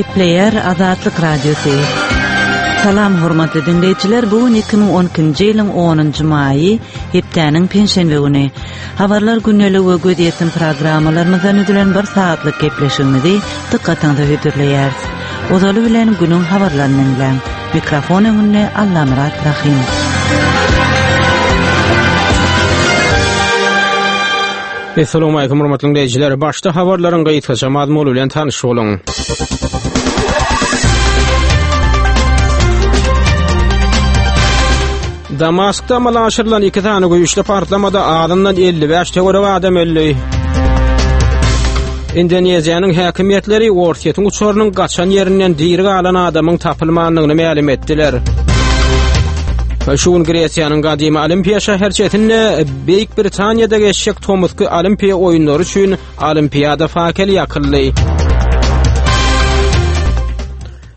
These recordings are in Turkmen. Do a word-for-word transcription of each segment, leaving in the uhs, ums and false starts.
Gepleýär Azatlyk Radiosy. Salam hormatly dinleýjiler, bu gün iki müň on ikinji ýylyň onunjy maýy, hepdäniň penşenbe güni. Habarlar gündelik we gözýetim programmalarymyzdan düzülen bir saatlyk gepleşigimizi dykgatyňyza hödürleýäris. Ozaly bilen günüň habarlaryny dinläň. Mikrofon öňünde Allamyrat Rahim. Assalamu alaykum hormatly dinleýjiler. Başda habarlaryň gysgaça mazmuny bilen tanyş boluň. Damaskda amala aşyrylan iki sany güýçli partlamada azyndan elli bäş töweregi adam öldü. Indoneziýanyň häkimiýetleri Orsýetiň uçarynyň gaçan ýerinden diri galan adamyň tapylmandygyny mälim etdiler. Şu gün Gresiýanyň gadymy Olimpiýa şäherçesinde Beýik Britaniýada geçjek tomusky Olimpiýa oýunlary üçin Olimpiýada fakeli ýakyldy.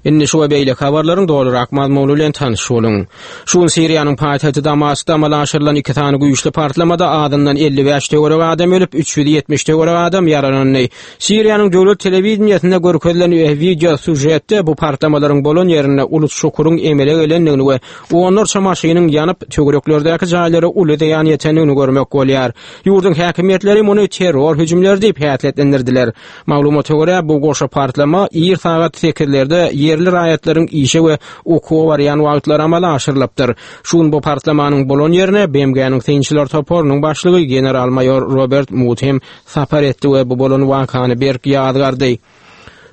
Indi şu we beýleki habarlaryň dolurak mazmuny bilen tanyş boluň. Şu gün Siriýanyň paýtagty Damaskda amala aşyrylan iki sany güýçli partlamada azyndan elli bäş töweregi adam ölüp, üç ýüz ýetmiş töweregi adam ýaralandy. Siriýanyň döwlet telewideniýesinde görkezilen video sujetde bu partlamalaryň bolan ýerinde uly çukuryň emele gelendigini we onlarça maşynyň ýanyp, töwereklerdäki jaýlara uly zyýan ýetendigini görmek bolýar. Ýurduň häkimiýetleri muny terror hüjümleri diýip häsiýetlendirdiler. Maglumata görä, bu goşa partlama ir sagat sekizlerde ýerli raýatlaryň işe we okuwa barýan wagtlary amala aşyrylypdyr. Şu gün bu partlamanyň bolan ýerine B M G-niň synçylar toparynyň başlygy general-maýor Robert Mut hem sapar etdi we bu bolan wakany berk ýazgardy.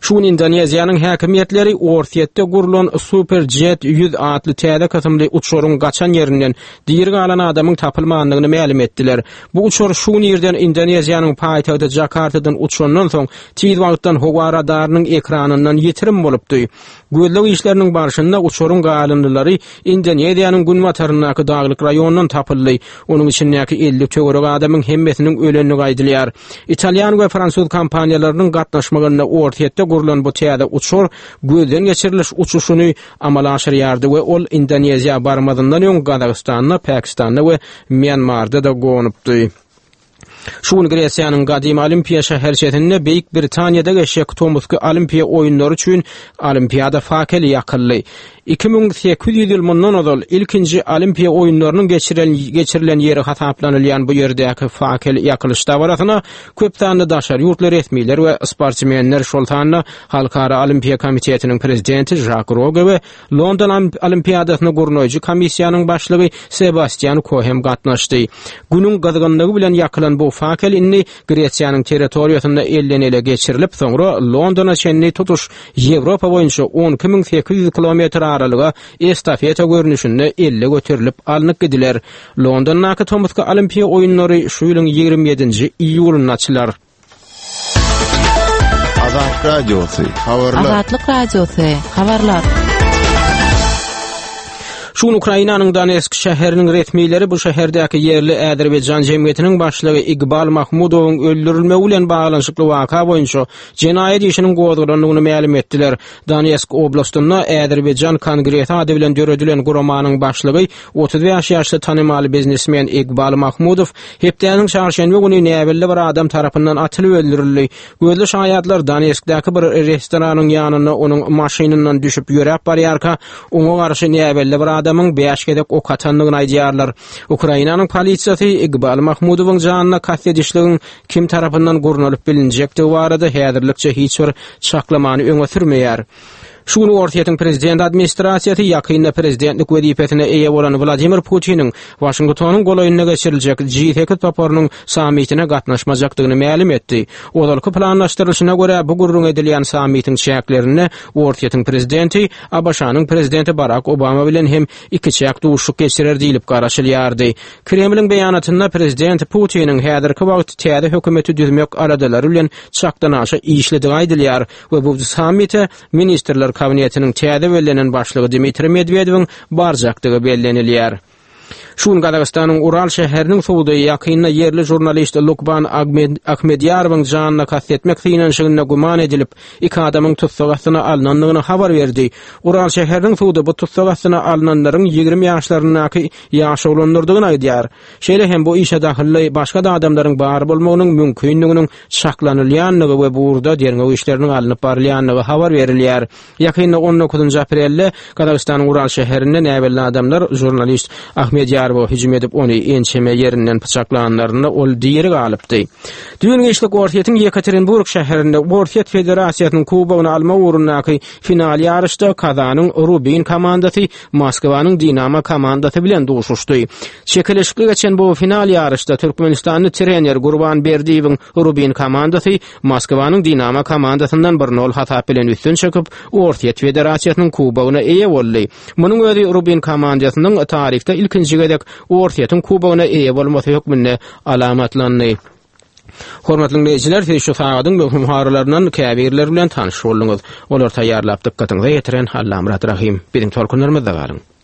Şu gün Indoneziýanyň häkimiýetleri Orsýetde gurulan Superjet ýüz atly täze kysymly uçaryň gaçan ýerinden diri galan adamyň tapylmandygyny mälim etdiler. Bu uçar şu gün irden Indoneziýanyň paýtagty Jakartadan uçandan soň tiz wagtdan howa radarynyň ekranyndan ýitirim bolupdy. Gözleg işleriniň barşynda uçaryň galyndylary Indoneziýanyň günbataryndaky daglyk raýonundan tapyldy. Onuň içindäki elli töwerek adamyň hemmesiniň ölendigi aýdylýar. Italýan we fransuz kompaniýalarynyň gatnaşmagynda Orsýetde gurulan bu täze uçar gözden geçiriliş uçuşyny amala aşyrýardy we ol Indoneziýa barmazyndan öň Gazagystanda, Pakistanda we Myanmarda da gonupdy. Şu gün Gresiýanyň gadymy Olimpiýa şäherçesinde Beýik Britaniýada geçjek tomusky Olimpiýa oýunlary üçin Olimpiýada fakeli ýakyldy. Iki müň sekiz ýüz ýyl mundan ozal ilkinji Olimpiýa oýunlarynyň geçirilen, geçirilen ýeri hasaplanylýan bu ýerdäki fakel ýakylyş dabarasyna köp sanly daşary ýurtly resmiler we sportsmenler, şol sanda Halkara Olimpiýa Komitetiniň prezidenti Jacques Rogge we London Olimpiýadasyny gurnaýjy komissiýanyň başlygy Sebastian Ko hem gatnaşdy. Günüň gyzgynlygy bilen ýakylan bu fakel indi Gresiýanyň territoriýasynda elden ele geçirilip, soňra Londona çenli tutuş Ýewropa boýunça on iki müň sekiz ýüz kilometr aralyga estafeta görnüşinde elle göterilip alnyp gidiler. Londondaky tomusky Olimpiýa oýunlary şu ýylyň ýigrimi ýedinji iýulynda açylar. Azatlyk Radiosy, habarlar. Azatlyk Radiosy, habarlar. Şu gün Ukrainanyň Donetsk şäheriniň resmileri bu şäherdäki ýerli Azerbaýjan jemgyýetiniň başlygy Iqbal Mahmudowyň öldürilmegi bilen baglanyşykly waka boýunça jenaýat işiniň gozgalandygyny mälim etdiler. Donetsk oblastynda Azerbaýjan Kongresi ady bilen döredilen guramanyň başlygy otuz bäş ýaşly tanymal biznesmen Iqbal Mahmudow hepdäniň çarşenbe güni näbelli bir adam tarapyndan atylyp öldürildi. Gözli şaýatlar Donetskdäki bir restoranyň ýanynda onuň maşynyndan düşüp ýöräp barýarka, oňa garşy näbelli bir adamyň bäş gezek ok atandygyny aýdýarlar. Ukrainanyň polisiýasy Iqbal Mahmudowyň janyna kast edişligiň kim tarapyndan gurnalyp bilinjekdigi barada häzirlikçe hiç bir çaklamany öňe sürmeýär. Şu gün Orsýetiň prezident administrasiýasy ýakynda prezidentlik wezipesine eýe bolan Wladimir Putiniň Waşingtonyň golaýynda geçiriljek G sekiz toparynyň sammitine gatnaşmajakdygyny mälim etdi. Ozalky planlaşdyrylyşyna görä bu gürrüň edilýän sammitiň çäklerinde Orsýetiň prezidenti A B Ş-nyň prezidenti Barack Obama bilen hem iki çäk duşuşyk geçirer diýilip garaşylýardy. Kremliň beýanatynda prezident Putiniň häzirki wagt täze hökümeti düzmek aladalary bilen çakdan aşa işledigi aýdylýar we bu sammite Ministrler Kabinetiniň täze bellenen başlygy Dmitri Medvedewiň barjakdygy bellenilýär. Şu gün Gazagystanyň Ural şäheriniň sudy ýakynda ýerli žurnalist Lukman Ahmedýarowyň janyna kast etmek synanyşygynda güman edilip, iki adamyň tussag astyna alnandygyny habar berdi. Ural şäheriniň sudy bu tussag astyna alnanlaryň ýigrimi ýaşlaryndaky ýaş oglanlardygyny aýdýar. Şeýle hem bu işe dahylly başga da adamlaryň bar bolmagynyň mümkinliginiň çaklanylýandygy we bu ugurda derňew işleriniň alnyp barylýandygy habar berilýär. Ýakynda on dokuzynjy aprelde Gazagystanyň Ural şäherinde näbelli adamlar žurnalist Ahmedýarowa hüjüm edip, ony ençeme ýerinden pyçaklanlarynda ol diri galypdy. Düýn giçlik Orsýetiň Ýekaterinburg şäherinde Orsýet Federasiýasynyň kubogyny almak ugrundaky final ýaryşda Kazanyň Rubin komandasy Moskwanyň Dinamo komandasy bilen duşuşdy. Çekeleşikli geçen bu final ýaryşda Türkmenistanly trener Gurban Berdiýewiň Rubin komandasy Moskwanyň Dinamo komandasyndan bir nol hasap bilen üstün çykyp, Orsýet Federasiýasynyň kubogyna eýe boldy. Munuň özi Rubin komandasynyň taryhda ilkinji gezek Orsýetiň kubogyna eýe bolmasy hökmünde alamatlandy. Hormatly dinleýjiler, siz şu sagadyň möhüm habarlaryndan käbirleri bilen tanyş bolduňyz. Olar taýýarlap dykgatyňyza ýetiren Allamyrat Rahim. Biziň tolkunlarymyzda galyň.